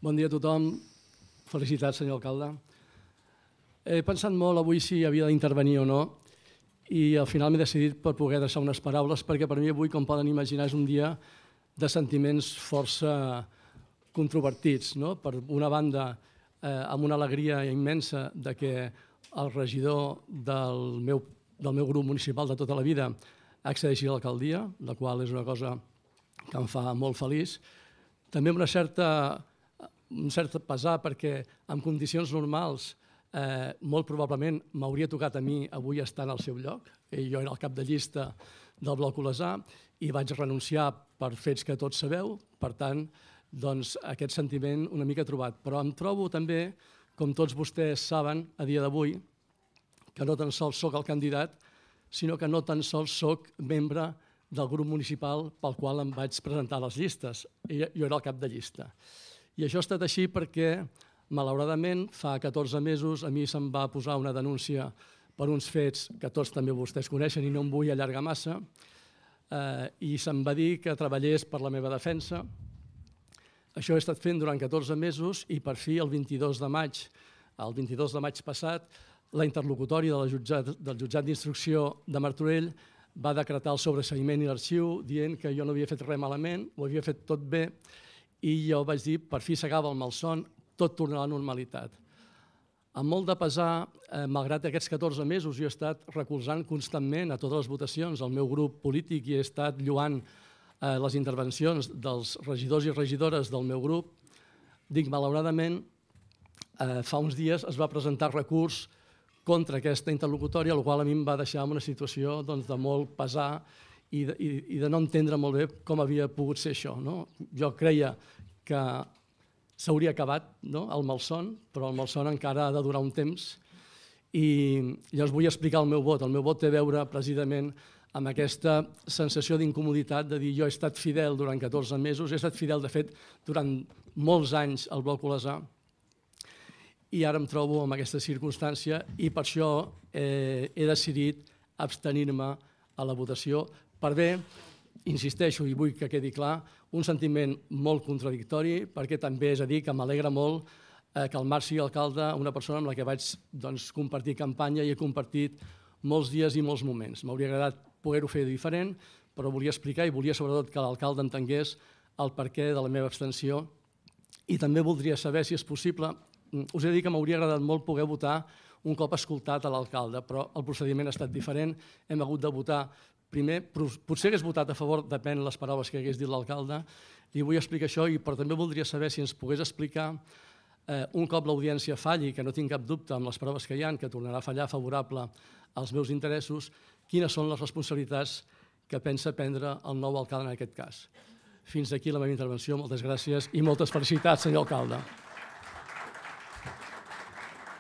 Bon dia a tothom. Felicitats, senyor alcalde. He pensat molt avui si havia d'intervenir o no i al final m'he decidit per poder deixar unes paraules perquè per mi avui, com poden imaginar, és un dia de sentiments força controvertits. Per una banda, amb una alegria immensa de que el regidor del meu grup municipal de tota la vida accedeixi a l'alcaldia, la qual és una cosa que em fa molt feliç. També amb un cert pesar perquè en condicions normals molt probablement m'hauria tocat a mi avui estar en el seu lloc. Jo era el cap de llista del Bloc Olesà i vaig renunciar per fets que tots sabeu. Per tant, aquest sentiment una mica trobat. Però em trobo també, com tots vostès saben, a dia d'avui, que no tan sols soc el candidat, sinó que no tan sols soc membre del grup municipal pel qual em vaig presentar a les llistes. Jo era el cap de llista. I això ha estat així perquè, malauradament, fa 14 mesos a mi se'm va posar una denúncia per uns fets que tots també vostès coneixen i no em vull allargar massa, i se'm va dir que treballés per la meva defensa. Això he estat fent durant 14 mesos i per fi el 22 de maig passat, la interlocutòria del jutjat d'instrucció de Martorell va decretar el sobreseïment i l'arxiu dient que jo no havia fet res malament, ho havia fet tot bé, i jo vaig dir, per fi s'acaba el malson, tot tornarà a la normalitat. Amb molt de pesar, malgrat aquests 14 mesos, jo he estat recolzant constantment a totes les votacions el meu grup polític i he estat lloant les intervencions dels regidors i regidores del meu grup. Dic, malauradament, fa uns dies es va presentar recurs contra aquesta interlocutòria, el qual a mi em va deixar en una situació de molt pesar i de no entendre molt bé com havia pogut ser això. Jo creia que s'hauria acabat el malson, però el malson encara ha de durar un temps i llavors vull explicar el meu vot. El meu vot té a veure precisament amb aquesta sensació d'incomoditat de dir jo he estat fidel durant 14 mesos, he estat fidel de fet durant molts anys al Bloc Olesà i ara em trobo en aquesta circumstància i per això he decidit abstenir-me a la votació per bé, insisteixo i vull que quedi clar, un sentiment molt contradictori perquè també és a dir que m'alegra molt que el Marc sigui alcalde, una persona amb la que vaig compartir campanya i he compartit molts dies i molts moments. M'hauria agradat poder-ho fer diferent, però volia explicar i volia sobretot que l'alcalde entengués el perquè de la meva abstenció i també voldria saber si és possible, us he de dir que m'hauria agradat molt poder votar un cop escoltat a l'alcalde, però el procediment ha estat diferent, hem hagut de votar primer, potser hagués votat a favor, depèn les paraules que hagués dit l'alcalde, li vull explicar això, però també voldria saber si ens pogués explicar, un cop l'audiència falli, que no tinc cap dubte amb les proves que hi ha, que tornarà a fallar favorable als meus interessos, quines són les responsabilitats que pensa prendre el nou alcalde en aquest cas. Fins aquí la meva intervenció, moltes gràcies i moltes felicitats, senyor alcalde.